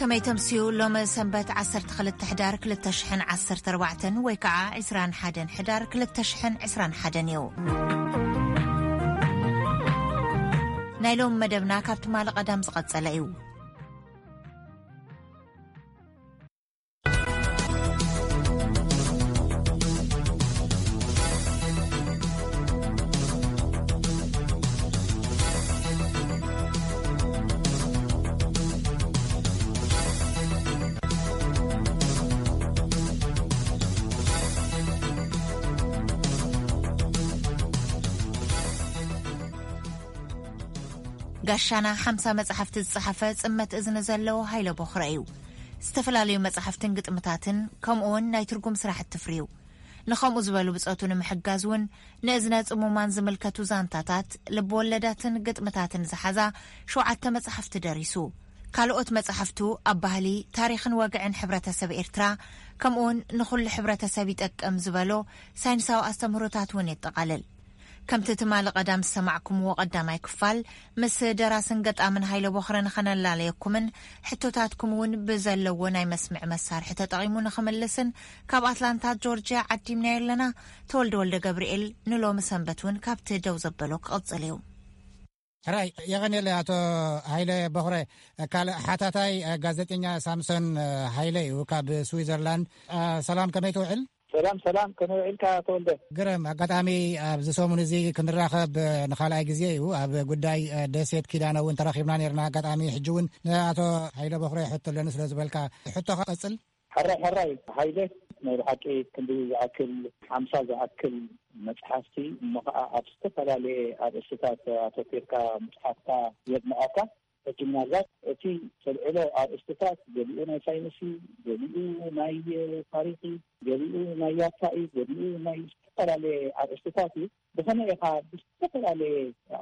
መይተምስዩ ሎሚ ሰንበት ዓሰርተ ክልተ ሕዳር ክልተ ሽሕን ዓሰርተ ኣርባዕተን ወይ ከዓ ዕስራን ሓደን ሕዳር ክልተ ሽሕን ዕስራን ሓደን እዩ። ናይ ሎም መደብና ካብ ትማሊ ቀዳም ዝቐጸለ እዩ። ጋሻና ሓምሳ መጻሕፍቲ ዝጸሓፈ ጽመት እዝኒ ዘለዎ ሃይለ ቦኽረ እዩ። ዝተፈላለዩ መጻሕፍትን ግጥምታትን ከምኡ እውን ናይ ትርጉም ስራሕ እትፍርዩ። ንኸምኡ ዝበሉ ብጾቱ ንምሕጋዝ እውን ንእዝነ ጽሙማን ዝምልከቱ ዛንታታት፣ ልብወለዳትን ግጥምታትን ዝሓዛ ሸውዓተ መጻሕፍቲ ደሪሱ። ካልኦት መጻሕፍቱ ኣብ ባህሊ፣ ታሪኽን ወግዕን ሕብረተሰብ ኤርትራ፣ ከምኡውን ንኹሉ ሕብረተሰብ ይጠቅም ዝበሎ ሳይንሳዊ ኣስተምህሮታት እውን የጠቓልል። ከምቲ ትማሊ ቀዳም ዝሰማዕኩምዎ ቀዳማይ ክፋል፣ ምስ ደራስን ገጣምን ሃይለ ቦኽረ ንኸነላለየኩምን ሕቶታትኩም እውን ብዘለዎ ናይ መስምዒ መሳርሒ ተጠቒሙ ንኽምልስን ካብ ኣትላንታ ጆርጅያ ዓዲምናዮ ኣለና። ተወልደ ወልደ ገብርኤል ንሎሚ ሰንበት እውን ካብቲ ደው ዘበሎ ክቕጽል እዩ። ሕራይ የቐንየለ ኣቶ ሃይለ ቦኽረ። ካልእ ሓታታይ ጋዜጠኛ ሳምሶን ሃይለ እዩ ካብ ስዊዘርላንድ። ሰላም፣ ከመይ ትውዕል? ሰላም ሰላም፣ ከመይ ውዒልካ ተወልደ? ግርም። ኣጋጣሚ ኣብዚ ሰሙን እዚ ክንራኸብ ንኻልኣይ ግዜ እዩ። ኣብ ጉዳይ ደሴት ኪዳነ እውን ተራኺብና ነርና። ኣጋጣሚ ሕጂ እውን ንኣቶ ሃይለ ቦኽረ ሕቶ ኣለኒ ስለ ዝበልካ ሕቶኻ ቀጽል። ሕራይ ሕራይ ሃይለ፣ ናይ ብሓቂ ክንዲ ዝኣክል ሓምሳ ዝኣክል መጽሓፍቲ፣ እሞ ኸዓ ኣብ ዝተፈላለየ ኣርእስትታት ኣተኲርካ ምጽሓፍካ የድንቐካ። ሕጂ ምናልባት እቲ ተልዕሎ ኣርእስትታት ገሊኡ ናይ ሳይንስ እዩ፣ ገሊኡ ናይ ታሪኽ እዩ፣ ገሊኡ ናይ ያታ እዩ፣ ገሊኡ ናይ ዝተፈላለየ ኣርእስትታት እዩ። ብኸመይ ኢኻ ብዝተፈላለየ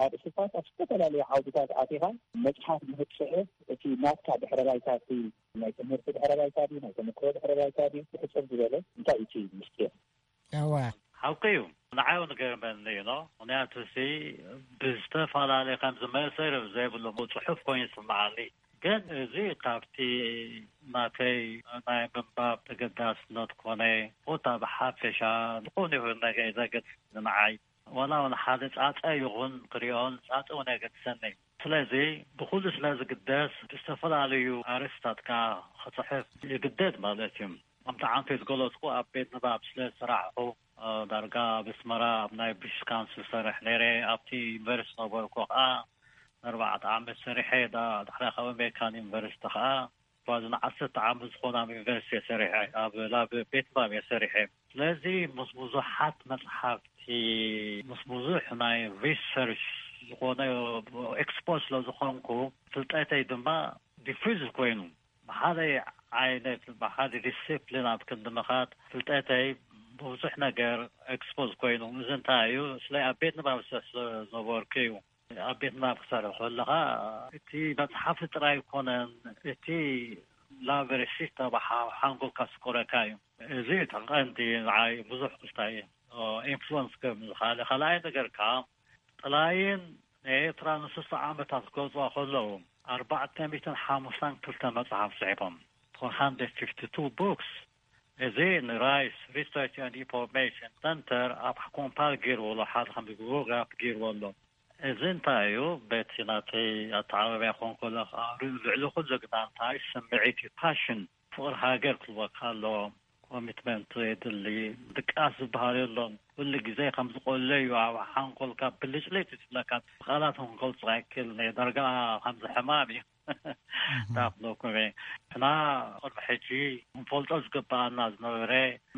ኣርእስትታት ኣብ ዝተፈላለየ ዓውድታት ኣቲኻ መጽሓፍ ንኽትጽሕፍ እቲ ናትካ ድሕረ ባይታ እቲ ናይ ትምህርቲ ድሕረ ባይታ ድዩ፣ ናይ ተመክሮ ድሕረ ባይታ ድዩ፣ ብሕጽር ዝበለ እንታይ እዩ እቲ ምስጢር? እወ። ሓቂ እዩ። ንዓይ እውን ገርመኒ እዩ፣ ኖ። ምኽንያቱ፣ እዚ ብዝተፈላለየ ከም ዝመሰር ዘይብሉ ጽሑፍ ኮይኑ ይስምዓኒ። ግን እዚ ካብቲ ናተይ ናይ ምንባብ ተገዳስነት ኮነ፣ ኮታ ብሓፈሻ ዝኾነ ይኹን ነገር ዘገድስ ንዓይ፣ ዋላ እውን ሓደ ጻጸ ይኹን ክሪኦ፣ ጻጸ እውን የገድሰኒ። ስለዚ ብኹሉ ስለ ዝግደስ፣ ብዝተፈላለዩ ኣርእስታት ከኣ ክጽሕፍ ይግደድ ማለት እዩ። ከምቲ ዓንተ ዝገለጽኩ፣ ኣብ ቤት ንባብ ስለ ዝሰራሕኹ፣ እ፣ ዳርጋ ኣብ ኣስመራ ኣብ ናይ ብሪቲሽ ካውንስል ሰርሕ ነይረ። ኣብቲ ዩኒቨርሲቲ ነበርኩ ከኣ ንኣርባዕተ ዓመት ሰሪሐ። ዳ-፣ ድሕሪኣ ካብ ኣሜሪካን ዩኒቨርሲቲ ከኣ ጓዝ ንዓሰርተ ዓመት ዝኾነ ኣብ ዩኒቨርሲቲ እየ ሰሪሐ፣ ኣብ ላብ ቤት ንባብ እየ ሰሪሐ። ስለዚ ምስ ብዙሓት መጽሓፍቲ፣ ምስ ብዙሕ ናይ ሪሰርች ዝኾነ ኤክስፖዝ ስለ ዝኾንኩ፣ ፍልጠተይ ድማ ዲፊዝ ኮይኑ፣ ብሓደ ዓይነት፣ ብሓደ ዲሲፕሊን ኣብ ክንዲ ምኻድ፣ ፍልጠተይ ብዙሕ ነገር ኤክስፖዝ ኮይኑ። እዚ እንታይ እዩ? ስለ ኣብ ቤት ንባብ ስለ ዝነበርኩ እዩ። ኣብ ቤት ንባብ ክሰርሕ ከለኻ፣ እቲ መጽሓፍቲ ጥራይ ኣይኮነን፣ እቲ ላብ ሪሰርች ተባሓ-፣ ሓንጎልካ ዝስቆረካ እዩ። እዚ እቲ ቀንዲ ንዓይ ብዙሕ ክስታይ ኢንፍሉወንስ ከም ዝኻለ። ካልኣይ ነገር ከኣ፣ ጥላይን ንኤርትራ ንስሳ ዓመታት ክገልጽዋ ከለዉ፣ ኣርባዕተ ሚእትን ሓሙሽተን ክልተ መጽሓፍ ጽሒፎም። ፎር ሃንድረድ ፊፍቲ ቱ ቡክስ። እዚ ንራይስ ሪሰርች ኤንድ ኢንፎርሜሽን ሰንተር ኣብ ኮምፓይል ገይርዎ ኣሎ፣ ሓደ ከም ጉግል ግራፍ ገይርዎ ኣሎ። እዚ እንታይ እዩ? በቲ ናተይ ኣተዓባብያ ክኾን ከሎ፣ ከኣ ልዕሊ ኩሉ ግና እንታይ ስምዒት እዩ? ፓሽን፣ ፍቕሪ ሃገር ክህልወካ ኣለዎ። ኮሚትመንት የድሊ። ድቃስ ዝበሃል የሎን። ኩሉ ግዜ ከም ዝቆለ እዩ ኣብ ሓንጎልካ ብልጭልጭ ዝብለካ። ብቃላት ክንገልጾ ኣይክእልን እየ። ዳርጋ ከምዚ ሕማም እዩ። እንታይ ክብለኩም እየ? ንሕና ቅድሚ ሕጂ ክንፈልጦ ዝግበኣና ዝነበረ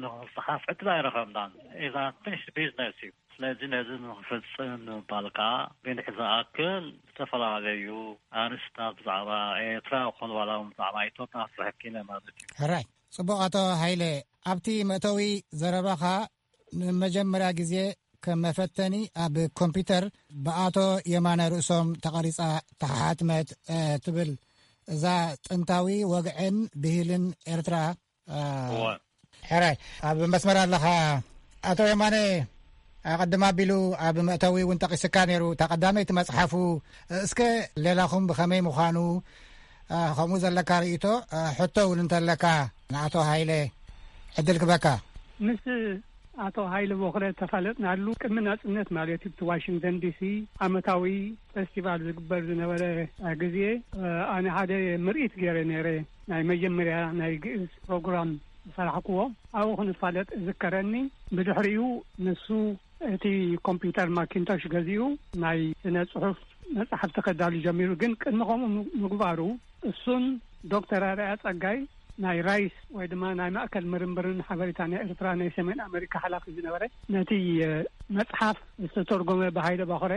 ንኽንጽሓፍ ዕድል ኣይረኸብናን። ኢዛ ፊኒሽድ ቢዝነስ እዩ። ስለዚ ነዚ ንኽፍጽም ንምባል ከኣ፣ ብንሕ ዝኣክል ዝተፈላለዩ ኣርእስታት ብዛዕባ ኤርትራ ይኹን ዋላ እውን ብዛዕባ ኢትዮጵያ ክጽሕፍ ክኢለ ማለት እዩ። ሕራይ። ጽቡቕ ኣቶ ሃይለ፣ ኣብቲ መእተዊ ዘረባኻ፣ ንመጀመርያ ግዜ ከም መፈተኒ ኣብ ኮምፒውተር ብኣቶ የማነ ርእሶም ተቐሪጻ ተሓትመት፣ እ፣ ትብል እዛ ጥንታዊ ወግዕን ብሂልን ኤርትራ፣ እ፣ እወ። ሕራይ፣ ኣብ መስመር ኣለኻ ኣቶ የማነ። ኣቐድም ኣቢሉ ኣብ መእተዊ እውን ጠቒስካ ነይሩ፣ እታ ቀዳመይቲ መጽሓፉ። እስከ ሌላኹም ብኸመይ ምዃኑ፣ ከምኡ ዘለካ ርእይቶ፣ ሕቶ እውን እንተለካ ንኣቶ ሃይለ ዕድል ክበካ። ምስ ኣቶ ሃይለ ቦኽረ ተፋለጥናሉ ቅድሚ ናጽነት ማለት እዩ። እቲ ዋሽንግተን ዲሲ ዓመታዊ ፌስቲቫል ዝግበር ዝነበረ ግዜ፣ ኣነ ሓደ ምርኢት ገይረ ነይረ። ናይ መጀመርያ ናይ ግእዝ ፕሮግራም ዝሰራሕክዎ ኣብኡ ክንፋለጥ እዝከረኒ። ብድሕሪኡ ንሱ እቲ ኮምፒውተር ማኪንቶሽ ገዚኡ ናይ ስነ ጽሑፍ መጽሓፍቲ ከዳሉ ጀሚሩ። ግን ቅድሚ ከምኡ ምግባሩ እሱን ዶክተር ኣርኣያ ጸጋይ ናይ ራይስ ወይ ድማ ናይ ማእከል ምርምርን ሓበሬታ ናይ ኤርትራ ናይ ሰሜን ኣመሪካ ሓላፊ ዝነበረ ነቲ መጽሓፍ ዝተተርጎመ ብሃይለ ባኽረ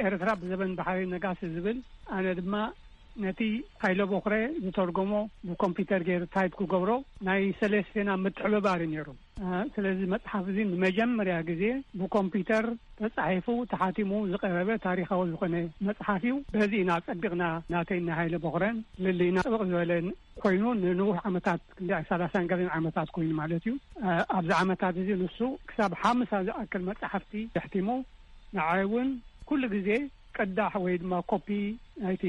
ኤርትራ ብዘበን ባሕሪ ነጋሲ ዝብል፣ ኣነ ድማ ነቲ ሃይለ ቦኽረ ዝተርጎሞ ብኮምፒውተር ገይሩ ታይፕ ክገብሮ ናይ ሰለስቴና ምትሕብባር እዩ ነይሩ። ስለዚ መጽሓፍ እዚ ንመጀመርያ ግዜ ብኮምፒውተር ተጻሒፉ ተሓቲሙ ዝቐረበ ታሪኻዊ ዝኾነ መጽሓፍ እዩ። በዚ ኢና ጸቢቕና ናተይ ናይ ሃይለ ቦኽረን ልልይና ጥብቕ ዝበለ ኮይኑ ንንውሕ ዓመታት ክንዲ ሰላሳን ገለን ዓመታት ኮይኑ ማለት እዩ። ኣብዚ ዓመታት እዚ ንሱ ክሳብ ሓምሳ ዝኣክል መጽሓፍቲ የሕቲሙ። ንዓይ እውን ኩሉ ግዜ ቅዳሕ ወይ ድማ ኮፒ ናይቲ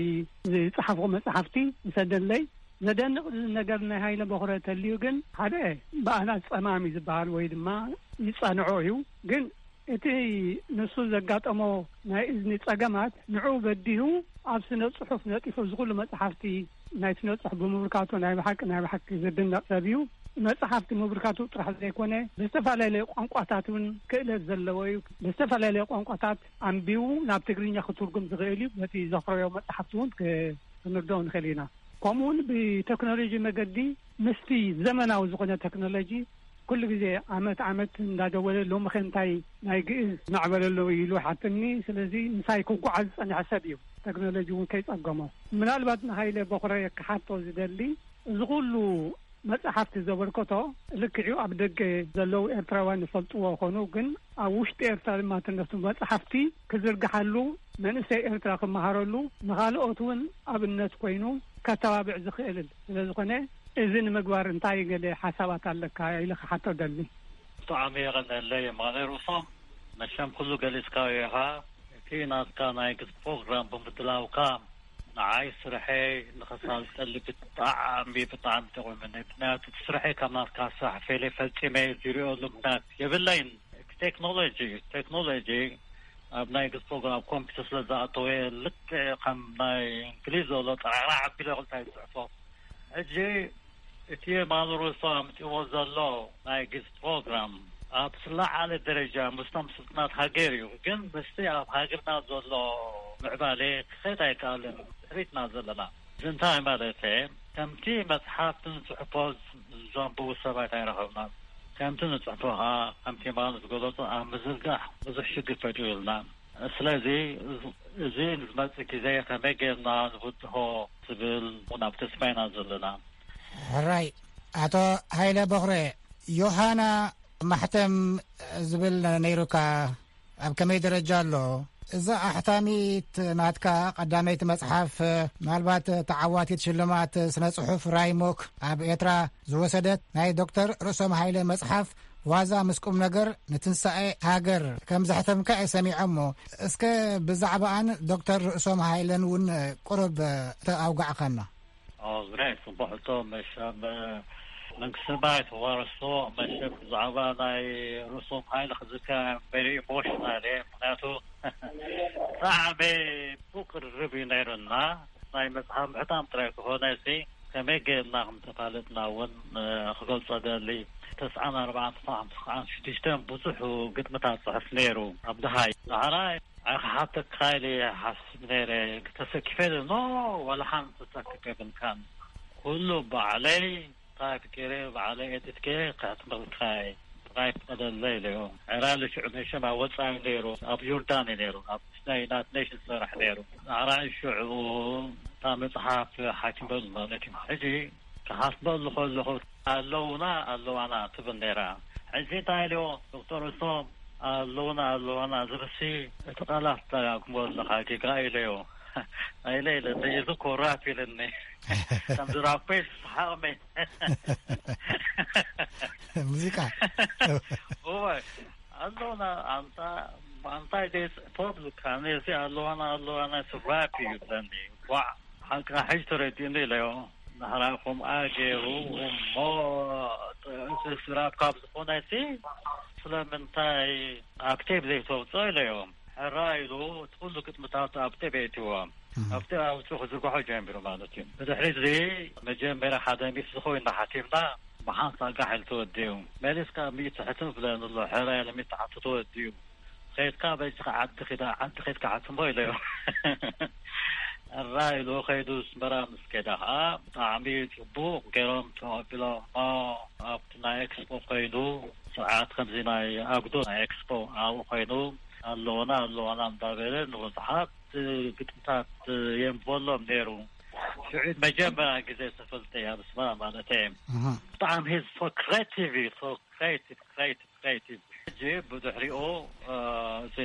ዝጸሓፍኩ መጽሓፍቲ ይሰደለይ። ዘደንቕ ነገር ናይ ሃይለ ቦኽረ ተልዩ ግን ሓደ ብኣናት ጸማም እዩ ዝበሃል ወይ ድማ ይጸንዖ እዩ። ግን እቲ ንሱ ዘጋጠሞ ናይ እዝኒ ጸገማት ንዑ በዲሁ ኣብ ስነ ጽሑፍ ነጢፉ ዝኹሉ መጽሓፍቲ ናይ ስነ ጽሑፍ ብምብርካቱ ናይ ብሓቂ ናይ ብሓቂ ዝድነቕ ሰብ እዩ። መጽሓፍቲ ምብርካቱ ጥራሕ ዘይኮነ ብዝተፈላለየ ቋንቋታት እውን ክእለት ዘለዎ እዩ። ብዝተፈላለየ ቋንቋታት ኣንቢቡ ናብ ትግርኛ ክትርጉም ዝኽእል እዩ። በቲ ዘፍረዮ መጽሓፍቲ እውን ክ- ክንርድኦ ንኽእል ኢና። ከምኡውን ብቴክኖሎጂ መገዲ ምስቲ ዘመናዊ ዝኾነ ቴክኖሎጂ ኩሉ ግዜ ዓመት ዓመት እንዳደወለ ሎሚ ከ እንታይ ናይ ግእዝ ማዕበል ኣሎ ኢሉ ሓትኒ። ስለዚ ምሳይ ክጓዓዝ ዝጸንሐ ሰብ እዩ። ቴክኖሎጂ እውን ከይጸገሞ ምናልባት ንሃይለ ቦኽረ ክሓቶ ዝደሊ እዚ ኩሉ መጽሓፍቲ ዘበርከቶ ልክዕኡ ኣብ ደገ ዘለዉ ኤርትራውያን ይፈልጥዎ ኾኑ፣ ግን ኣብ ውሽጢ ኤርትራ ድማ ትነሱ መጽሓፍቲ ክዝርግሓሉ፣ መንእሰይ ኤርትራ ክመሃረሉ፣ ንኻልኦት እውን ኣብነት ኮይኑ ከተባብዕ ዝኽእል ስለ ዝኾነ፣ እዚ ንምግባር እንታይ ገለ ሓሳባት ኣለካ ኢለ ክሓቶ ደሊ። ብጣዕሚ የቐንየለይ የማነ ርእሶም፣ መቸም ኩሉ ገሊጽካዮ ኢኻ። እቲ ናትካ ናይ ግዝ ፕሮግራም ብምድላውካ ንዓይ ስርሐይ ንኸሳልጠሉ ብጣዕሚ፣ ብጣዕሚ ጠቒሙኒ። ምኽንያቱ እቲ ስርሐይ ካብ ናትካ ስራሕ ፈልየ ፈጺመ ዝሪኦሉ ምኽንያት የብለይን። እቲ ቴክኖሎጂ፣ ቴክኖሎጂ ኣብ ናይ ግዝ ፕሮግራም ኮምፒውተር ስለ ዝኣተወ ልክዕ ከም ናይ እንግሊዝ ዘሎ ጠራዕራዕ ኣቢለ ክልታይ ዝጽሕፎ። ሕጂ እቲ የማነ ርእሶም ኣምጺእዎ ዘሎ ናይ ግዝ ፕሮግራም ኣብ ዝለዓለ ደረጃ ምስቶም ስልጡናት ሃገር እዩ። ግን ምስቲ ኣብ ሃገርና ዘሎ ምዕባለ ክኸይድ ኣይከኣልን። ድሕሪትና ዘለና። እዚ እንታይ ማለት እየ? ከምቲ መጽሓፍትን ጽሑፎ ዘንብቡ ሰባት ኣይረኸብናን። ከምቲ ንጽሕፎ ኸኣ ከምቲ የማነ ዝገለጾ ኣብ ምዝርጋሕ ብዙሕ ሽግር ፈጢሩልና። ስለዚ እዚ ንዝመጽእ ግዜ ከመይ ጌርና ንብድሆ ዝብል ናብ ተስፋ ኢና ዘለና። ሕራይ ኣቶ ሃይለ በኽረ፣ ዮሃና ማሕተም ዝብል ነይሩካ፣ ኣብ ከመይ ደረጃ ኣሎ? እዛ ኣሕታሚት ናትካ ቀዳመይቲ መጽሓፍ፣ ምናልባት ተዓዋቲት ሽልማት ስነ ጽሑፍ ራይሞክ ኣብ ኤርትራ ዝወሰደት ናይ ዶክተር ርእሶም ሃይለ መጽሓፍ ዋዛ ምስ ቁም ነገር ንትንሳኤ ሃገር ከም ዘሕተምካ እየ ሰሚዐ። እሞ እስከ ብዛዕባኣን ዶክተር ርእሶም ሃይለን እውን ቁሩብ ተኣውጋዕካና። ኦ፣ ግሬት፣ ጽቡቕ ሕቶ። መቸም መንግስቲ ሰማይ ተዋረሶ። መቸም ብዛዕባ ናይ ርእሶም ሃይለ ክዝከር ቨሪ ኢሞሽናል እየ። ምኽንያቱ ብጣዕሚ ብቕርብ እዩ ነይሩና። ናይ መጽሓፍ ምሕታም ጥራይ ክኾነ ሲ ከመይ ጌርና ከም ተፋለጥና እውን፣ እ፣ ክገልጾ ደሊ። ተስዓን ኣርባዓን፣ ተስዓን፣ ተስዓን ሽዱሽተን ብዙሕ ግጥምታት ጽሕፍ ነይሩ ኣብ ደሃይ። ዳሕራይ ኣይ ክሓተካ ኢለ ይሓስብ ነይረ። ተሰኪፈ ኢለ፣ ኖ፣ ዋላ ሓንቲ ተሰኪፈ የብልካን። ኩሉ ባዕለይ ታይፕ ገይረ፣ ባዕለይ ኤዲት ገይረ ከሕትመልካ እየ። ጥራይ ፍቀደለይ ኢለዮ። ዕራሊ ሽዑ መቸም ኣብ ወጻኢ ነይሩ፣ ኣብ ዮርዳን እዩ ነይሩ፣ ኣብ ናይ ዩናይትድ ኔሽንስ ዝሰርሕ ነይሩ። ዳሕራይ ሽዑ እታ መጽሓፍ ሓቲመሉ ማለት እዩ። ሕጂ ክሓትመሉ ከለኹ ኣለውና ኣለዋና ትብል ነይራ። ሕጂ እንታይ ኢልዎ ዶክተር ርእሶም ኣለውና ኣለዋና ዝብልሲ እቲ ቃላት ትደጋግሞ ኣለኻ ጌጋ ኢለዮ። ኢለ ኢለ እዚ ኮራፕ ኢለኒ። ከም ዝራፔ ሰሓቕመ። ሙዚቃ። እወ፣ ኣለውና ኣንታ ኣንታይ ደስ ፖፕ ዝካነ እዚ ኣለዋና ኣለዋና ስራፕ እዩ ብለኒ። ዋዕ። ሓቅኻ ሕጂ ተረዲኡኒ ኢለዮ። ንሕራኹም ኣገይሩ እሞ ስራብ ካብ ዝኾነሲ ስለምንታይ ኣብ ቴብ ዘይተውፅኦ ኢለዮ። ሕራ ኢሉ እቲ ኩሉ ግጥምታት ኣብ ቴብ የእትዎ። ኣብ ቴብ ኣውፅኡ ክዝርግሖ ጀሚሩ ማለት እዩ። ብድሕሪ እዚ መጀመርያ ሓደ ሚስ ዝኸውን እናሓቲምና ብሓንሳ ጋሕ ኢሉ ተወዲኡ። መሊስካ ሚእቲ ሕትም ብለኒ ኣሎ። ሕራ ኢለ ሚእቲ ሓቱ ተወዲኡ። ከይድካ በጅኻ ዓዲ ኺዳ፣ ዓዲ ኸይድካ ሓትሞ ኢለዮ። እራ ኢሉ ኸይዱ ኣስመራ ምስ ከደ ኸዓ ብጣዕሚ ጽቡቕ ገይሮም ተቐቢሎሞ። ኣብቲ ናይ ኤክስፖ ኾይኑ ስርዓት ከምዚ ናይ ኣጉዶ ናይ ኤክስፖ ኣብኡ ኾይኑ ኣለወና ኣለወና እንዳበለ ንብዙሓት ግጥምታት የንብበሎም ነይሩ። ሽዑ መጀመርያ ግዜ ተፈልጠ እያ ኣስመራ ማለት እየ። ብጣዕሚ ሂዝ ሶ ክሬቲቭ እዩ ሶ ክሬቲቭ ክሬቲቭ ክሬቲቭ። ሕጂ ብድሕሪኡ እዚ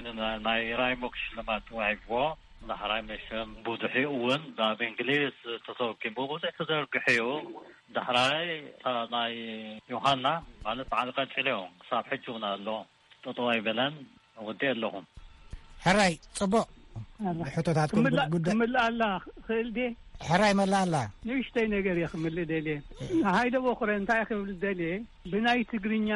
ናይ ራይሞክ ሽልማት ተዋሂብዎ። ዳሕራይ መሸም ብድሕሪኡ እውን ናብ እንግሊዝ ተተርጉሙ ብዙሕ ተዘርግሑ እዩ። ዳሕራይ እታ ናይ ዮሃና ማለት በዓል ቀንፂልዮ ክሳብ ሕጂ እውን ኣሎ። ጠጠው ኣይበለን። ወዲ ኣለኹም። ሕራይ ጽቡቕ። ሕቶታትኩም ክምላ- ጉዳይ ክምልኣላ ክእል ድየ? ሕራይ መላኣላ። ንእሽተይ ነገር እየ ክምልእ ደልየ። ሃይደ በኹረ እንታይ ክብል ደልየ? ብናይ ትግርኛ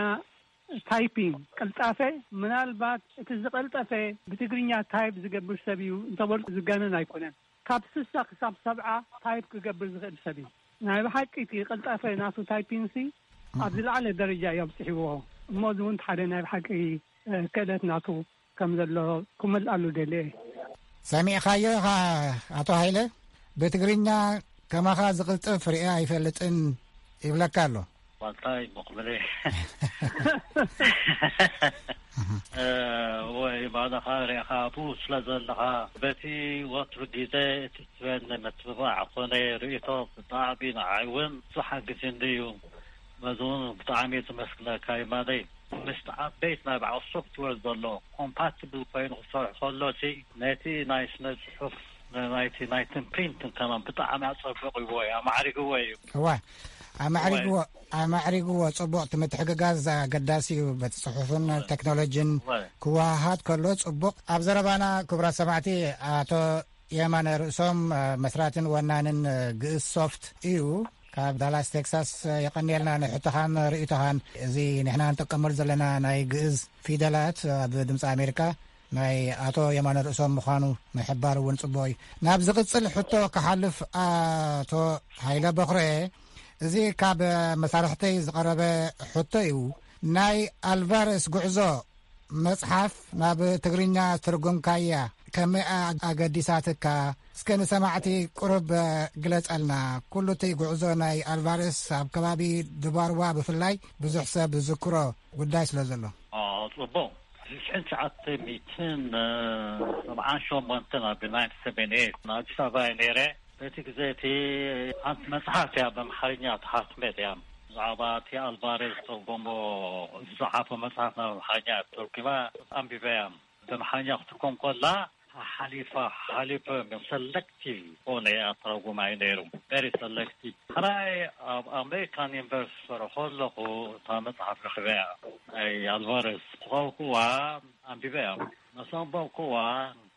ታይፒንግ ቅልጣፈ ምናልባት እቲ ዝቐልጠፈ ብትግርኛ ታይፕ ዝገብር ሰብ እዩ እንተበልኩ ዝጋነን ኣይኮነን። ካብ ስሳ ክሳብ ሰብዓ ታይፕ ክገብር ዝኽእል ሰብ እዩ። ናይ ብሓቂ እቲ ቅልጣፈ ናቱ ታይፒንሲ ኣብ ዝለዓለ ደረጃ እዩ ኣብፅሕዎ። እሞ እዚ እውን ሓደ ናይ ብሓቂ ክእለት ናቱ ከም ዘሎ ክመልኣሉ ደልየ። ሰሚዕኻዮ ኢኻ ኣቶ ሃይለ? ብትግርኛ ከማኻ ዝቕልጥፍ ርእየ ኣይፈልጥን ይብለካ ኣሎ። ዋልታይ መቕበለ ወይ ባዕልኻ ርኢኻ ኣብኡ ስለ ዘለኻ በቲ ወትሩ ግዜ እቲ ትበኒ ምትብባዕ ኮነ ርእቶ ብጣዕሚ ንዓይ እውን ብዙሕ ሓጊዙኒ እዩ። በዚ እውን ብጣዕሚ እየ ዘመስግነካ ይማነይ። ምስቲ ዓበይቲ ናይ በዓል ሶፍትዌር ዘሎ ኮምፓቲብል ኮይኑ ክሰርሑ ከሎ ሲ ነቲ ናይ ስነ ፅሑፍ ናይቲ ናይትን ፕሪንትን ከማን ብጣዕሚ ኣፀቢቕዎ እዩ ኣማዕሪግዎ እዩ። እዋ ኣማዕሪግዎ ኣማዕሪግዎ። ፅቡቕ። እቲ ምትሕግጋዝ ኣገዳሲ እዩ። በቲ ፅሑፍን ቴክኖሎጂን ክወሃሃድ ከሎ ፅቡቕ። ኣብ ዘረባና ክቡራት ሰማዕቲ ኣቶ የማነ ርእሶም መስራትን ወናንን ግእዝ ሶፍት እዩ። ካብ ዳላስ ቴክሳስ የቐንየልና ንሕቶኻን ርእይቶኻን። እዚ ንሕና ንጥቀመሉ ዘለና ናይ ግእዝ ፊደላት ኣብ ድምፂ ኣሜሪካ ናይ ኣቶ የማነ ርእሶም ምዃኑ ምሕባር እውን ጽቡቕ እዩ። ናብ ዝቕጽል ሕቶ ክሓልፍ ኣቶ ሃይለ በኽረ፣ እዚ ካብ መሳርሕተይ ዝቐረበ ሕቶ እዩ። ናይ ኣልቫረስ ጉዕዞ መጽሓፍ ናብ ትግርኛ ትርጉምካያ ከመይ ኣገዲሳትካ? እስከ ንሰማዕቲ ቁሩብ ግለጸልና። ኩሉ እቲ ጉዕዞ ናይ ኣልቫረስ ኣብ ከባቢ ድባርዋ ብፍላይ ብዙሕ ሰብ ዝዝክሮ ጉዳይ ስለ ዘሎ። ጽቡቕ። ሽሕን ትሽዓተ ሚእትን ሰብዓን ሸሞንተን ኣብ ናይንቲን ሰቨንቲ ኤይት ንኣዲስ ኣበባ እየ ነይረ። በቲ ግዜ እቲ ሓንቲ መጽሓፍ እያ ብኣምሓርኛ ተሓትመት እያ። ብዛዕባ እቲ ኣልቫሬዝ ዝተርጎሞ ዝጸሓፎ መጽሓፍ ናብ ኣምሓርኛ ተርጉማ ኣንቢበያ። ብኣምሓርኛ ክትርጎም ከላ ሓሊፋ ሓሊፈ ሰለክቲቭ ኾነ ኣተረጉማይ ነይሩ። ቨሪ ሰለክቲቭ። ሕራይ ኣብ ኣሜሪካን ዩኒቨርሲቲ ዝሰርሖ ኣለኹ እታ መጽሓፍ ረኺበያ ናይ ኣልቫሬዝ ዝኸብኩዋ ኣንቢበያ። መሰንበብኩዋ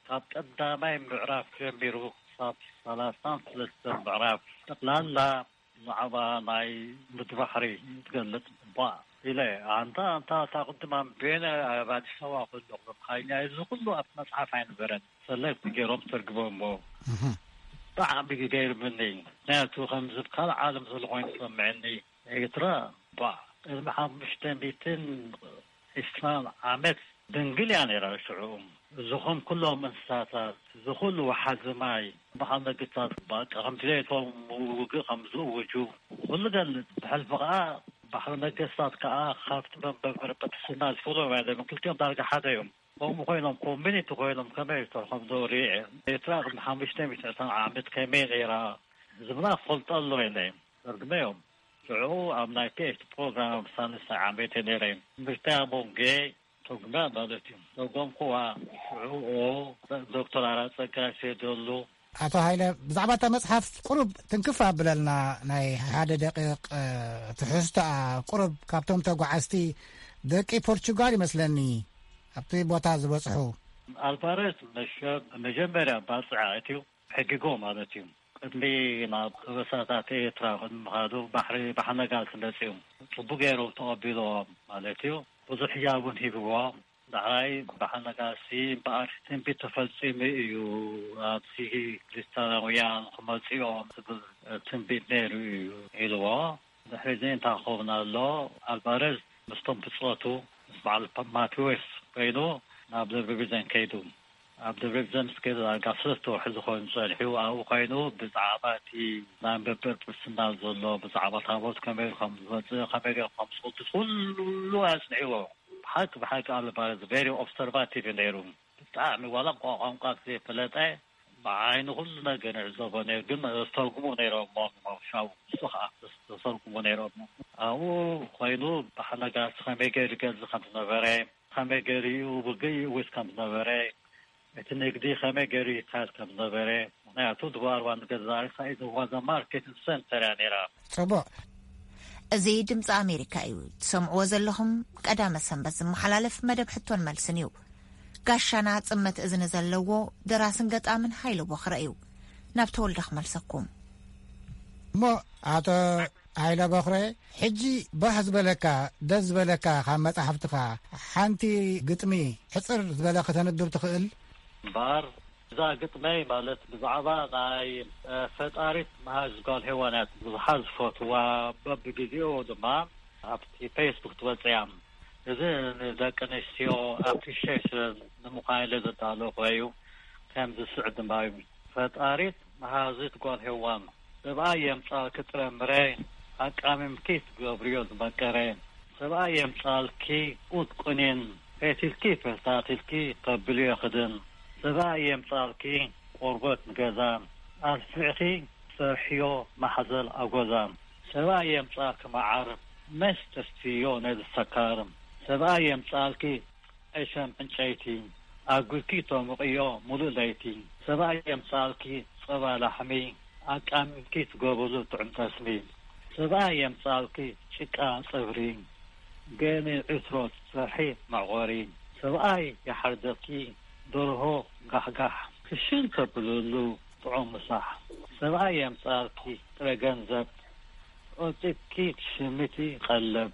ካብ ቀዳማይ ምዕራፍ ጀሚሩ ክሳብ ሰላሳን ሰለስተን ምዕራፍ ጠቕላላ ብዛዕባ ናይ ምድሪ ባሕሪ ትገልጽ እባ ኢለ ኣንታ ኣንታ እታ ቅድም ኣንቢበ ኣብ ኣዲስ ኣበባ ከለኹ ብኣምሓርኛ እዚ ኩሉ ኣብ መጽሓፍ ኣይነበረን ሰለክት ገይሮም ተርጉሞሞ። ብጣዕሚ ገይርምኒ ምክንያቱ ከምዚ ካልእ ዓለም ዘሎ ኮይኑ ዝሰምዐኒ ኤርትራ ባዕ ቅድሚ ሓሙሽተ ሚእትን ዒስራን ዓመት ድንግል እያ ነይራ ሽዑ። እዚ ኹም ኩሎም እንስሳታት፣ እዚ ኩሉ ወሓዚ ማይ፣ በዓል መግብታት በቃ ከም ድሌቶም ውግእ ከም ዝእውጁ ኩሉ ገልጽ። ብሕልፊ ኸኣ ባሕሪ ነገስታት ከኣ ካብቲ መንበሪ ጵጵስና ዝፈልዮም ኣይደለም። ክልቲኦም ዳርጋ ሓደ እዮም። ከምኡ ኮይኖም ኮሚኒቲ ኮይኖም ከመይ ዝተርፎም ዶ ሪኤ። ኤርትራ ቅድሚ ሓሙሽተ ሚእቲ ዕስራን ዓመት ከመይ ነይራ ዝብላ ክፈልጦ ኣለዎ ኢለ። ተርጉመዮም። ሽዑ ኣብ ናይ ፒኤችዲ ፕሮግራም ኣብ ሳልሳይ ዓመት እየ ነይረ። ትምህርተይ ኣብ ሞንጌ ተርጉመያ ማለት እዩ። ተርጎምኩዋ። ሽዑ ዶክተር ኣራጸጋ ሴደሉ። ኣቶ ሃይለ፣ ብዛዕባ እታ መጽሓፍ ቁሩብ ትንክፍ ኣብለልና፣ ናይ ሓደ ደቂቕ፣ እ፣ ትሕዝቶኣ ቁሩብ ካብቶም ተጓዓዝቲ ደቂ ፖርቹጋል ይመስለኒ ኣብቲ ቦታ ዝበጽሑ። ኣልቫሬዝ መሸ-፣ መጀመርያ ባጽዕ ኣእትዩ ሕጊጎ ማለት እዩ። ቅድሚ ናብ ከበሳታት ኤርትራ ቅድሚ ምኻዱ ባሕሪ ባሕነጋስ መጺኡ ጽቡቅ ገይሮም ተቐቢልዎም ማለት እዩ። ብዙሕ ህያብ እውን ሂብዎም። ዳሕራይ ባሕነጋሲ እምበኣር ትንቢት ተፈጺሙ እዩ፣ ኣብዚ ክሪስታናውያን ክመጽኦም ዝብል ትንቢት ነይሩ እዩ ኢልዎ። ድሕሪ እዚ እንታይ ክኸውን ኣሎ? ኣልቫረዝ ምስቶም ብጾቱ ምስ በዓል ማቴዎስ ኮይኑ ናብ ደብረ ቢዘን ከይዱ። ኣብ ደብረ ቢዘን ምስ ከይዱ ዳርጋ ሰለስተ ወርሒ ዝኾኑ ጸኒሑ ኣብኡ ኮይኑ ብዛዕባ እቲ ናይ መበል ፕርስና ዘሎ ብዛዕባ ታቦት ከመይ ከም ዝመጽእ ከመይ ገይሩ ከም ዝቕድስ ኩሉ ኣጽኒዕዎ። ብሓቂ ብሓቂ ኣልቫረዝ ቨሪ ኦብሰርቫቲቭ ነይሩ። ብጣዕሚ ዋላ ቋ- ቋንቋ ዘይፈለጠ ብዓይኒ ኩሉ ነገር ይዕዘቦ ነይሩ። ግን ዝተርጉሙ ነይሮም ሻው ንሱ ከዓ ዝተርጉሙ ነይሮም። ኣብኡ ኮይኑ ብሓነጋሲ ከመይ ገይሩ ገዝ ከም ዝነበረ፣ ከመይ ገይሩ ብገይ እውት ከም ዝነበረ፣ እቲ ንግዲ ከመይ ገይሩ ይካየድ ከም ዝነበረ፣ ምክንያቱ ድባርባ ንገዛሪካ ኢዘዋ ዘ ማርኬት ሰንተር እያ ነይራ። ጽቡቕ። እዚ ድምፂ ኣሜሪካ እዩ ትሰምዕዎ ዘለኹም። ቀዳመ ሰንበት ዝመሓላለፍ መደብ ሕቶን መልስን እዩ። ጋሻና ጽመት እዝኒ ዘለዎ ደራስን ገጣምን ሃይለ ቦኽረ እዩ። ናብ ተወልደ ክመልሰኩም። እሞ ኣቶ ሃይለ ቦኽረ፣ ሕጂ ባህ ዝበለካ፣ ደስ ዝበለካ ካብ መጻሕፍትኻ ሓንቲ ግጥሚ ሕጽር ዝበለ ከተንብብ ትኽእል? እምበኣር እዛ ግጥመይ ማለት ብዛዕባ ናይ ፈጣሪት መሃዝ ጓል ሄዋን እያ ብዙሓት ዝፈትዋ። በብግዜኡ ድማ ኣብቲ ፌስቡክ ትወፅእ እያ። እዚ ንደቂ ኣንስትዮ ኣፕሪሺየሽን ንምዃን ኢለ ዘዳለኹ እዩ። ከም ዝስዕብ ድማ እዩ። ፈጣሪት መሃዝት ጓል ሄዋን፣ ሰብኣይ የምጻልኪ ጥረ ምረ፣ ኣቃሚምኪ ትገብርዮ ዝመቀረ። ሰብኣይ የምጻልኪ ኡት ቁኒን፣ ፈቲልኪ ፈሳቲልኪ ተብልዮ ክድን። ሰብኣይ የምጻልኪ ቆርበት ንገዛ፣ ኣስፊዕኺ ሰርሕዮ ማሕዘል ኣጎዛ። ሰብኣይ የምጻልኪ መዓር፣ መስ ተስትዮ ነዚ ሰካር። ሰብኣይ የምጻልኪ ዕሸም ዕንጨይቲ፣ ኣጉድኪ ተሙቕዮ ሙሉእ ለይቲ። ሰብኣይ የምጻልኪ ጸባ ላሕሚ፣ ኣቃሚምኪ ትገብርሉ ጥዑም ጠስሚ። ሰብኣይ የምጻልኪ ጭቃ ጽፍሪ፣ ገኒ ዕትሮ ትሰርሒ መዕቆሪ። ሰብኣይ ይሓርደኪ ደርሆ ጋሕጋሕ፣ ክሽን ተብልሉ ጥዑም ምሳሕ። ሰብኣይ የምጻልኪ ጥረ ገንዘብ፣ ቆጺብኪ ትሽምቲ ቀለብ።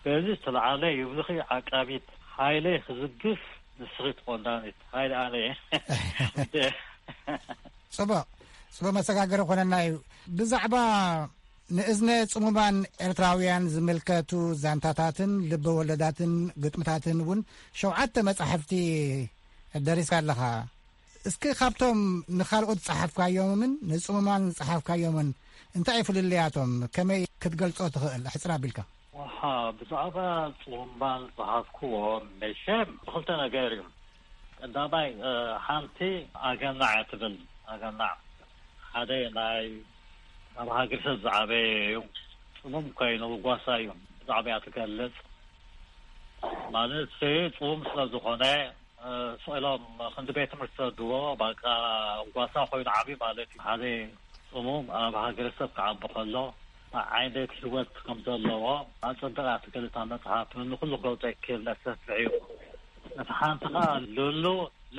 በዚ ዝተለዓለ ይብልኺ ዓቃቢት፣ ሓይለይ ክዝግፍ ንስኺ ትቆንዳኒት። ሓይሊ ኣነ እየ። ጽቡቕ፣ ጽቡቕ መሰጋገሪ ኮነና እዩ። ብዛዕባ ንእዝነ ጽሙማን ኤርትራውያን ዝምልከቱ ዛንታታትን ልበ ወለዳትን ግጥምታትን እውን ሸውዓተ መጻሕፍቲ ደሪስካ ኣለኻ። እስኪ ካብቶም ንኻልኦት ዝጸሓፍካዮምን ንጽሙማን ዝጸሓፍካዮምን እንታይ እዩ ፍልልያቶም? ከመይ ክትገልጾ ትኽእል? ኣሕጽር ኣቢልካ። ወሓ፣ ብዛዕባ ጽሙማን ዝጸሓፍክዎ መሸም ብኽልተ ነገር እዩ። ቀዳማይ፣ እ፣ ሓንቲ ኣገናዕ እያ ትብል። ኣገናዕ ሓደ ናይ ኣብ ሃገር ሰብ ዝዓበየ እዩ። ጽሙም ኮይኑ ጓሳ እዩ። ብዛዕባ እያ ትገልጽ። ማለት ጽሙም ስለ ዝኾነ፣ እ፣ ስቕ ኢሎም ክንዲ ቤት ትምህርቲ ዝሰድዎ፣ በቃ ጓሳ ኮይኑ ዓብዩ ማለት እዩ። ሓደ ጽሙም ኣብ ሃገረሰብ ክዓቢ ከሎ፣ እንታይ ዓይነት ህይወት ከም ዘለዎ ኣጸቢቓ ትገልጽ እታ መጽሓፍ። ንኹሉ ክገልጾ ይክእል፣ ነፍሰፍሕ እዩ። እቲ ሓንቲ ኸኣ ሉሉ፣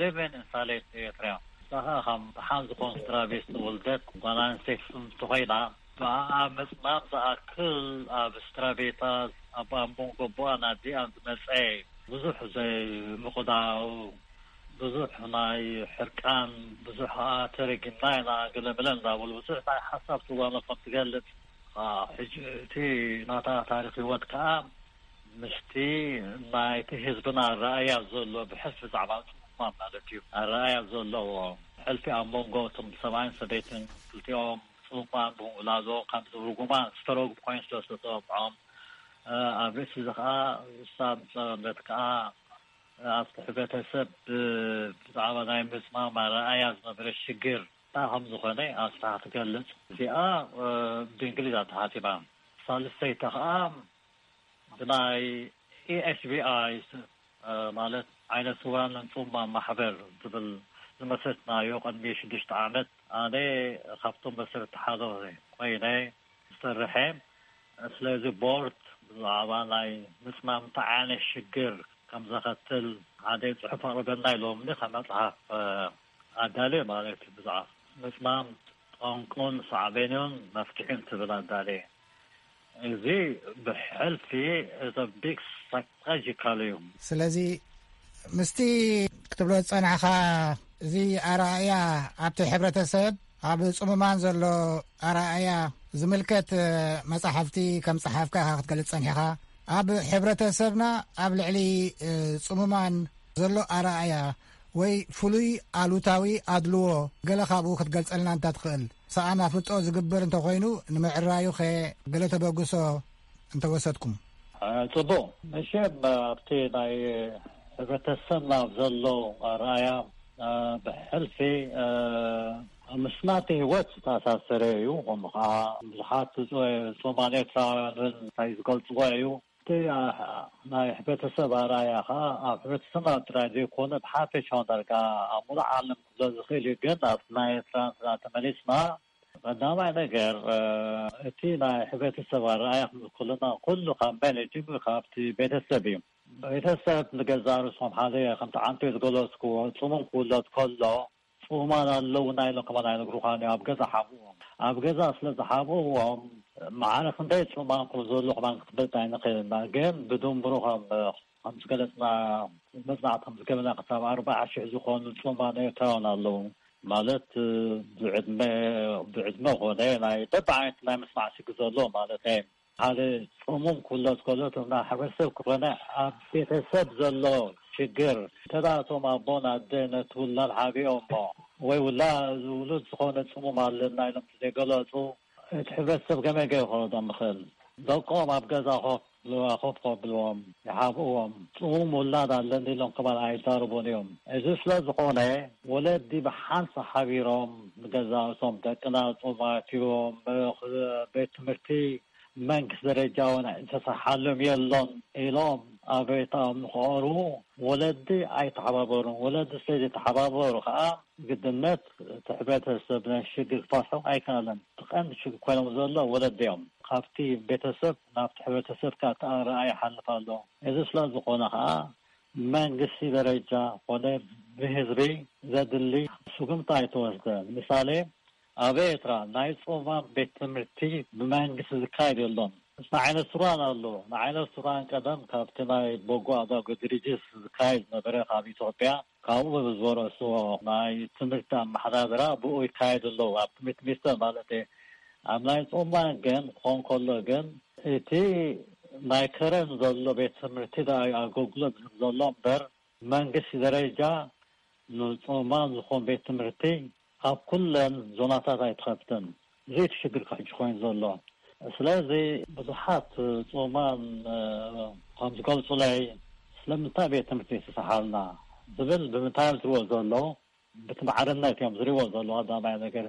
ሊቪን ኢን ሳሌት ኤርትራ። እሳ ኸኣ ካብ ደሓን ዝኾኑ ስድራ ቤት ዝወለደት ጓል ኣንስተይቲ እንተኾይና፣ ብኣኣ ምጽማም ዝኣክል ኣብ ስድራ ቤታት፣ ኣብ ኣቦን ጎቦኣን ኣዲኣን ዝመጸ ብዙሕ ዘይምቕዳው፣ ብዙሕ ናይ ሕርቃን፣ ብዙሕ ከኣ ተረጊምና ኢና፣ ገለመለ እንዳበሉ ብዙሕ ናይ ሓሳብ ትዋኖ ከም ትገልጽ፣ አ፣ ሕጂ እቲ ናታ ታሪኽ ህይወት ከኣ ምስቲ ናይቲ ህዝብና ኣረኣእያ ዘሎ ብሕልፊ ብዛዕባ ጽሙማን ማለት እዩ። ኣረኣእያ ዘለዎ ሕልፊ ኣብ መንጎ እቶም ሰብኣይን ሰበይትን ክልቲኦም ጽሙማን ብምውላዶ ካብ ርጉማን ዝተረጉም ኮይኑ ስለ ዝተጸውዖም፣ እ፣ ኣብ ርእሲ እዚ ከኣ እሳ ዝጸመመት ከኣ ኣብቲ ሕብረተሰብ ብ-፣ ብዛዕባ ናይ ምጽማም ኣረኣእያ ዝነበረ ሽግር እንታይ ከም ዝኾነ ኣስፍሓ ትገልጽ። እዚኣ፣ እ፣ ብእንግሊዝ እያ ተሓቲማ። ሳልስተይቲ ከኣ ብናይ ኢ ኤስ ቢ ኣይ፣ እ፣ ማለት ዓይነ ስውራንን ጽሙማን ማሕበር ዝብል ዝመስረትናዮ ቅድሚ ሽዱሽተ ዓመት፣ ኣነ ካብቶም መሰረትቲ ሓደ ኮይነ ዝሰርሐ። ስለዚ ቦርድ ብዛዕባ ናይ ምጽማም እንታይ ዓይነት ሽግር ከም ዘኸትል ሓደ ጽሑፍ ኣቕርበልና ኢሎም ከም መጽሓፍ፣ እ፣ ኣዳልየ ማለት እዩ። ብዛዕባ ምጽማም ቋንቋን ሳዕቤኑን መፍትሒ እንትብል ኣዳለየ። እዚ ብሕልፊ እቲ ቢግ ስትራቴጂካል እዩ። ስለዚ ምስቲ ክትብሎ ዝጸናሕካ፣ እዚ ኣረኣእያ ኣብቲ ሕብረተሰብ፣ ኣብ ጽሙማን ዘሎ ኣረኣእያ ዝምልከት መጻሕፍቲ ከም ጸሓፍካ ኢኻ ክትገልጽ ጸኒሕኻ። ኣብ ሕብረተሰብና ኣብ ልዕሊ ጽሙማን ዘሎ ኣረኣእያ ወይ ፍሉይ ኣሉታዊ ኣድልዎ፣ ገለ ካብኡ ክትገልጸልና እንተ ትኽእል። ሰኣን ኣፍልጦ ዝግበር እንተኾይኑ፣ ንምዕራዩኸ ገለ ተበግሶ እንተወሰድኩም? እ፣ ጽቡቕ። መሸም ኣብቲ ናይ ሕብረተሰብና ዘሎ ኣረኣያ፣ እ፣ ብሕልፊ፣ እ፣ ምስ ናተይ ህይወት ዝተኣሳሰረ እዩ። ከምኡ ኸዓ ብዙሓት ጽ-፣ ጽሙማን ኤርትራውያን እውን እንታይ ዝገልጽዎ እዩ። እቲ፣ ኣ-፣ ናይ ሕብረተሰብ ኣረኣያ ኸዓ ኣብ ሕብረተሰብና ጥራይ ዘይኮነ ብሓፈሻ ዳርጋ ኣብ ሙሉእ ዓለም ክሎ ዝኽእል እዩ። ግን ኣብ ናይ ኤርትራ እንተ ተመሊስና፣ ቀዳማይ ነገር፣ እ፣ እቲ ናይ ሕብረተሰብ ኣረኣያ ክንብል ከለና ኩሉ ካብ መን እዩ ጅምር? ካብቲ ቤተሰብ እዩ። ቤተሰብ ንገዛእ ርእሶም ሓደ ከምቲ ዓንተ ዝገለጽክዎ ጽሙም ክውለድ ከሎ ጽሙማን ኣለውና ኢሎም ከማን ኣይነግሩኻን እዮም። ኣብ ገዛ ሓብእዎም። ኣብ ገዛ ስለ ዝሓብእዎም ማዕረ ክንደይ ጽሙማን ከም ዘሎ ከማን ክትፈልጥ ኣይንኽእልና። ግን ብድምሩ ከም፣ ከም ዝገለጽና መጽናዕቲ ከም ዝገበና ክሳብ ኣርባዓ ሽሕ ዝኾኑ ጽሙማን ኤርትራውያን ኣለዉ። ማለት ብዕድመ፣ ብዕድመ ኾነ ናይ በብዓይነት ናይ ምስማዕ ሽግር ዘለዎ ማለት እዩ። ሓደ ጽሙም ክውለድ ከሎ፣ እቶም ናይ ሕብረተሰብ ክኾነ ኣብ ቤተሰብ ዘሎ ሽግር፣ እንተ ደኣ እቶም ኣቦን ኣደ ነቲ ውላድ ሓቢኦሞ፣ ወይ ውላ-፣ ውሉድ ዝኾነ ጽሙም ኣለና ኢሎም ዘይገለጹ፣ እቲ ሕብረተሰብ ከመይ ገይሩ ክረዶም ይኽእል? ደቆም ኣብ ገዛ ኮፍ፣ ኮፍ ከብልዎም፣ ይሓብእዎም። ጽሙም ውላድ ኣለኒ ኢሎም ከማን ኣይዛረቡን እዮም። እዚ ስለ ዝኾነ፣ ወለዲ ብሓንሳእ ሓቢሮም ንገዛእቶም፣ ደቅና ጽሙማት እዮም፣ ቤት ትምህርቲ መንግስቲ ደረጃ እውን ዝተሰርሓሎም የሎን ኢሎም ኣብ ቤቶም ንክቐርቡ ወለዲ ኣይተሓባበሩን። ወለዲ ስለ ዘይተሓባበሩ ከዓ ግድነት እቲ ሕብረተሰብ ናይ ሽግር ክፈትሑ ኣይከኣለን። እቲ ቀንዲ ሽግር ኮይኖም ዘሎ ወለዲ እዮም። ካብቲ ቤተሰብ ናብቲ ሕብረተሰብ ከዓ እቲ ኣረኣእያ ይሓልፍ ኣሎ። እዚ ስለ ዝኾነ ከዓ መንግስቲ ደረጃ ኮነ ብህዝቢ ዘድሊ ስጉምቲ ኣይተወስደን። ምሳሌ ኣብ ኤርትራ ናይ ጾማም ቤት ትምህርቲ ብመንግስቲ ዝካየድ የሎን። ንዓይነ ሱራን ኣሎ። ንዓይነ ሱራን ቀደም ካብቲ ናይ በጎ ኣድራጎት ድርጅት ዝካየድ ነበረ ካብ ኢትዮጵያ። ካብኡ ብዝወረስዎ ናይ ትምህርቲ ኣመሓዳድራ ብኡ ይካየድ ኣለዉ። ኣብ ትምህርቲ ሚኒስተር ማለት እየ። ኣብ ናይ ጾማን ግን ክኾን ከሎ ግን እቲ ናይ ከረን ዘሎ ቤት ትምህርቲ ደኣ እዩ ኣገልግሎት ዝህብ ዘሎ እምበር መንግስቲ ደረጃ ንጾማን ዝኾን ቤት ትምህርቲ ኣብ ኩለን ዞናታት ኣይትኸፍትን። እዚ እቲ ሽግር ካብ ሕጂ ኮይኑ ዘሎ። ስለዚ ብዙሓት ጾማን፣ እ፣ ከም ዝገልጹለይ፣ ስለምንታይ ቤት ትምህርቲ ይተሰሓልና ዝብል ብምንታይ እዮም ዝሪእዎ ዘለዉ? ብቲ ማዕርነት እዮም ዝሪእዎ ዘለዉ። ቀዳማይ ነገር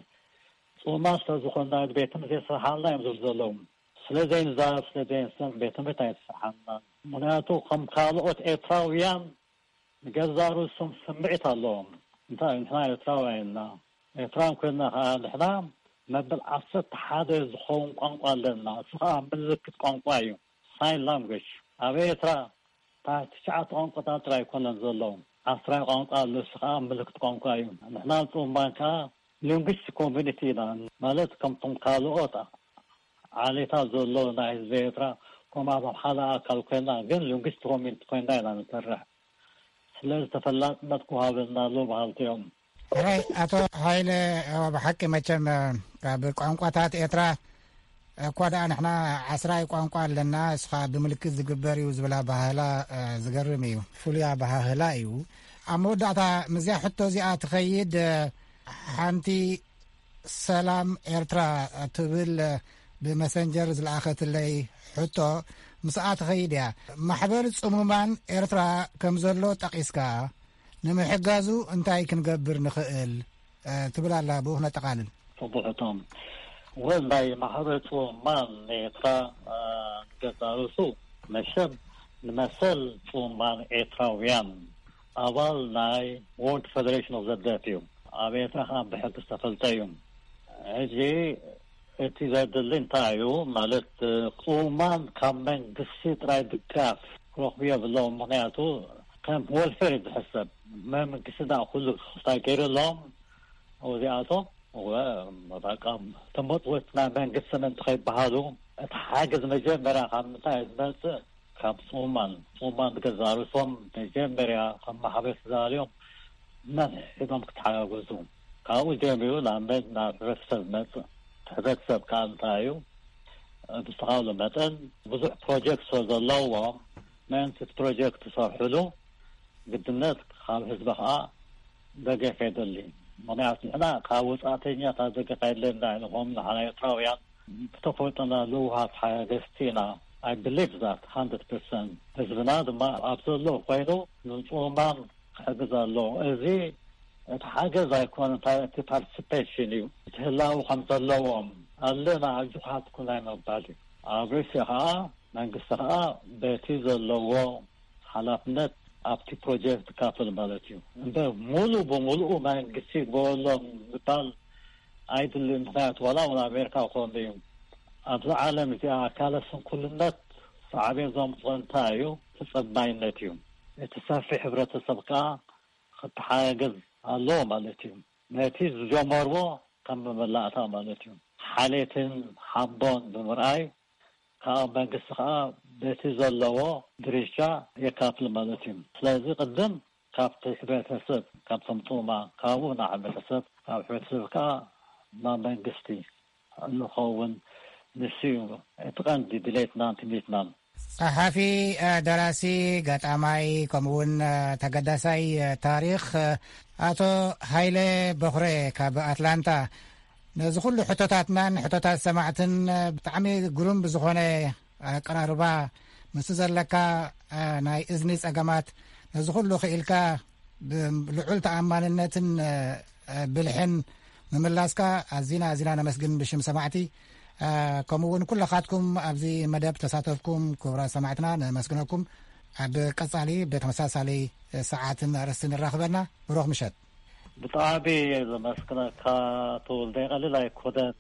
ጾማን ስለ ዝኾንና ቤት ትምህርቲ ይተሰሓልና እዮም ዝብሉ ዘለዉ። ስለ ዘይንዛረብ፣ ስለ ዘይንስን ቤት ትምህርቲ ኣይተሰሓልናን። ምኽንያቱ ከም ካልኦት ኤርትራውያን ንገዛእ ርእሶም ስምዒት ኣለዎም። እንታይ ንሕና ኤርትራውያን ኢና። ኤርትራውያን ኮይንና ኸዓ ንሕና መበል ዓሰርተ ሓደ ዝኸውን ቋንቋ ኣለና። እሱ ኸዓ ምልክት ቋንቋ እዩ። ሳይን ላንጉጅ። ኣብ ኤርትራ እታ ትሽዓተ ቋንቋታት ጥራይ ኣይኮነን ዘለዉ። ዓስራይ ቋንቋ ኣሎ። እሱ ኸዓ ምልክት ቋንቋ እዩ። ንሕና ጽምባን ከኣ ሊንጉስቲክ ኮሚኒቲ ኢና። ማለት ከምቶም ካልኦት ዓሌታት ዘሎ ናይ ህዝቢ ኤርትራ ከም ኣብ ሓደ ኣካል ኮይና፣ ግን ሊንጉስቲክ ኮሚኒቲ ኮይና ኢና ንሰርሕ። ስለዚ ተፈላጥነት ክወሃበና ኣለዎ በሃልቲ እዮም። ሕራይ ኣቶ ሃይለ፣ ብሓቂ መቸም ካብ ቋንቋታት ኤርትራ እኳ ደኣ ንሕና ዓስራይ ቋንቋ ኣለና፣ እስኻ ብምልክት ዝግበር እዩ ዝብል ኣበሃህላ፣ እ፣ ዝገርም እዩ። ፍሉይ ኣበሃህላ እዩ። ኣብ መወዳእታ ምስዚኣ ሕቶ እዚኣ ትኸይድ፣ እ፣ ሓንቲ ሰላም ኤርትራ ትብል ብመሰንጀር ዝለኣኸትለይ ሕቶ ምስኣ ትኸይድ እያ። ማሕበር ጽሙማን ኤርትራ ከም ዘሎ ጠቒስካ፣ ንምሕጋዙ እንታይ ክንገብር ንኽእል? እ፣ ትብል ኣላ። ብኡ ክነጠቓልል። ጽቡቕ ሕቶ። ወል ናይ ማሕበር ጽሙማን ኤርትራ፣ እ፣ ንገዛእ ርእሱ መሸም ንመሰል ጽሙማን ኤርትራውያን ኣባል ናይ ወርልድ ፌደሬሽን ኦፍ ዘ ደፍ እዩ። ኣብ ኤርትራ ከዓ ብሕጊ ዝተፈልጠ እዩ። ሕጂ እቲ ዘድሊ እንታይ እዩ? ማለት፣ ጽሙማን ካብ መንግስቲ ጥራይ ድጋፍ ክረኽቡ የብሎም። ምኽንያቱ ከም ወልፌር እዩ ዝሕሰብ። መንግስቲ ደኣ ኩሉ ክፍታ ገይሩ ኣለዎም። እዚኣቶም ወ-፣ በቃ ተመጽወት ናይ መንግስትን እንተኸይበሃሉ፣ እቲ ሓገዝ መጀመርያ ካብ ምንታይ እዩ ዝመጽእ? ካብ ጽሙማን። ጽሙማን ገዛ ርእሶም መጀመርያ ካብ ማሕበር ተዳልዮም ነንሕድሕዶም ክተሓጋገዙ። ካብኡ ጀሚሩ ናብ መን-፣ ናብ ሕብረተሰብ ዝመጽእ። እቲ ሕብረተሰብ ከኣ እንታይ እዩ? ብዝተኻእሎ መጠን ብዙሕ ፕሮጀክት ስለ ዘለዎም፣ ምእንቲ እቲ ፕሮጀክት ዝሰርሕሉ ግድነት ካብ ህዝቢ ከኣ ደገፍ የድሊ። ምኽንያቱ ንሕና ካብ ወጻእተኛታት ደገፍ ኣየድልየና ኢልኹም፣ ንሕና ኤርትራውያን ብተፈጥሮና ለዋሃት ሓገዝቲ ኢና። I believe that one hundred percent። ህዝብና ድማ ኣብ ዘሎ ኮይኑ ንጽሙማን ክሕግዝ ኣለዎ። እዚ እቲ ሓገዝ ኣይኮነን፣ እንታይ፣ እቲ ፓርቲሲፔሽን እዩ። እቲ ህላው ከም ዘለዎም ኣለና፣ ኣጆኻ ትኩን ናይ ምባል እዩ። ኣብ ርእሲ ኸኣ መንግስቲ ኸኣ በቲ ዘለዎ ሓላፍነት ኣብቲ ፕሮጀክት ክካፈል ማለት እዩ። እምበር ሙሉ ብሙሉኡ መንግስቲ ይግበረሎም ዝባል ኣይድልን። ምኽንያቱ ዋላ እውን ኣሜሪካ ክኾን እዩ። ኣብዚ ዓለም እዚኣ ኣካለ ስንኩልነት ሳዕቤን ዘምፅኦ እንታይ እዩ? ተፀባይነት እዩ። እቲ ሰፊሕ ሕብረተሰብ ከዓ ክተሓጋገዝ ኣለዎ ማለት እዩ። ነቲ ዝጀመርዎ ከም መመላእታ ማለት እዩ። ሓሌትን ሓቦን ብምርኣይ ካብ መንግስቲ ከዓ በቲ ዘለዎ ድርሻ የካፍል ማለት እዩ። ስለዚ ቅድም ካብቲ ሕብረተሰብ፣ ካብቶም ጥሙማን፣ ካብኡ ናብ ሕብረተሰብ፣ ካብ ሕብረተሰብ ከዓ ናብ መንግስቲ ንኸውን። ንሱ እዩ እቲ ቀንዲ ድሌትናን ትምኒትናን። ጸሓፊ፣ እ፣ ደራሲ፣ ገጣማይ፣ ከምኡ እውን፣ እ፣ ተገዳሳይ፣ እ፣ ታሪኽ፣ እ፣ ኣቶ ሃይለ በኹረ ካብ ኣትላንታ፣ ነዚ ኩሉ ሕቶታትናን ሕቶታት ሰማዕትን፣ እ፣ ብጣዕሚ ግሩም ብዝኾነ ኣቀራርባ፣ ምስቲ ዘለካ፣ እ፣ ናይ እዝኒ ጸገማት፣ ነዚ ኩሉ ክኢልካ ብልዑል ተኣማንነትን፣ እ፣ እ፣ ብልሕን ምምላስካ ኣዚና፣ ኣዚና ነመስግን ብሽም ሰማዕቲ። እ፣ ከምኡ እውን ኩለኻትኩም ኣብዚ መደብ ተሳተፍኩም ክቡራት ሰማዕትና ነመስግነኩም። ኣብ ቀጻሊ ብተመሳሳሊ ሰዓትን ኣርእስትን ንራኽበና። ብሩኽ ምሸት። ብጣዕሚ እየ ዘመስግነካ ተወልደ። ቀሊል ኣይኮነን።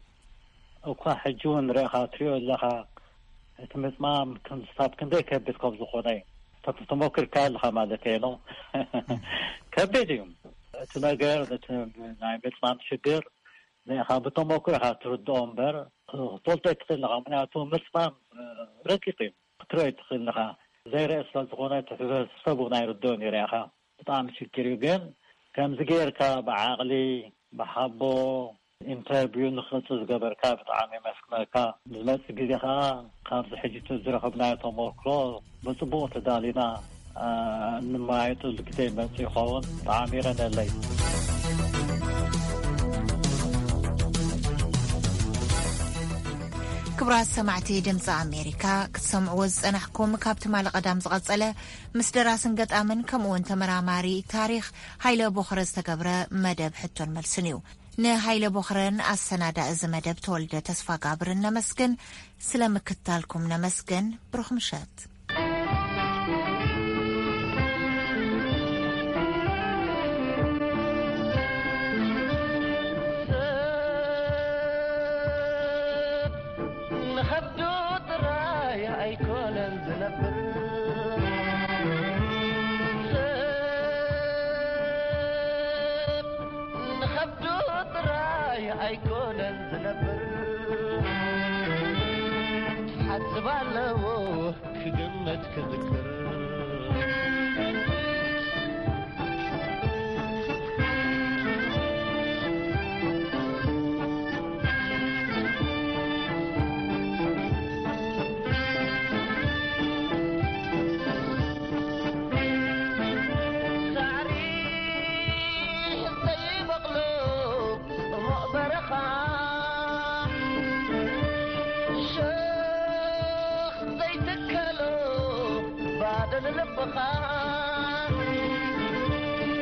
እኳ ሕጂ እውን ንሪእኻ ትሪኦ ኣለኻ፣ እቲ ምጽማም ክሳብ ክንደይ ከቢድ ከም ዝኾነ እዩ። ተፍ-፣ ተሞኪርካ ኣለኻ ማለት እየ ነው። ከቢድ እዩ እቲ ነገር፣ እቲ ናይ ምጽማም ሽግር። ንኢኻ ብተሞክሮ ኢኻ ትርድኦ እምበር ክትፈልጦ ኣይትኽእል ኢኻ። ምኽንያቱ ምጽማም፣ እ፣ ረቂቕ እዩ። ክትሪኦ ኣይትኽእል ኢኻ። ዘይረአ ስለ ዝኾነ እቲ ሕብረተሰብ እውን ኣይርድኦን እዩ። ርኢኻ ብጣዕሚ ሽግር እዩ። ግን ከምዚ ጌርካ ብዓቕሊ፣ ብሓቦ፣ ኢንተርቪው ንኽቕጽል ዝገበርካ ብጣዕሚ የመስግነካ። ንዝመጽእ ግዜ ከኣ ካብዚ ሕጂ ዝረኸብናዮ ተመክሮ ብጽቡቕ ተዳሊና፣ ኣ፣ እንመያየጠሉ ግዜ ይመጽእ ይኸውን። ብጣዕሚ የቐንየለይ። ክቡራት ሰማዕቲ ድምፂ ኣሜሪካ፣ ክትሰምዕዎ ዝጸናሕኩም ካብ ትማሊ ቀዳም ዝቐጸለ ምስ ደራስን ገጣምን ከምኡውን ተመራማሪ ታሪኽ ሃይለ ቦኽረ ዝተገብረ መደብ ሕቶን መልስን እዩ። ንሃይለ ቦኽረን ኣሰናዳኢ እዚ መደብ ተወልደ ተስፋ ጋብርን ነመስግን። ስለ ምክትታልኩም ነመስግን። ብሩኽ ምሸት። ንኸብዱ ጥራይ ኣይኮነን ዝነብር፣ ሰብ ንኸብዱ ጥራይ ኣይኮነን ዝነብር። ሓስብ ኣለዎ ክግመት ክዝክር። ሳዕሪ ዘይበቕሎ ጽሙቕ በረኻ፣ ሸኽ ዘይትከሎ ባዶ ንልብኻ።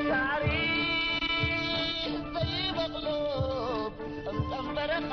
ሳዕሪ ዘይበቕሎ ጽምጸም በረኻ፣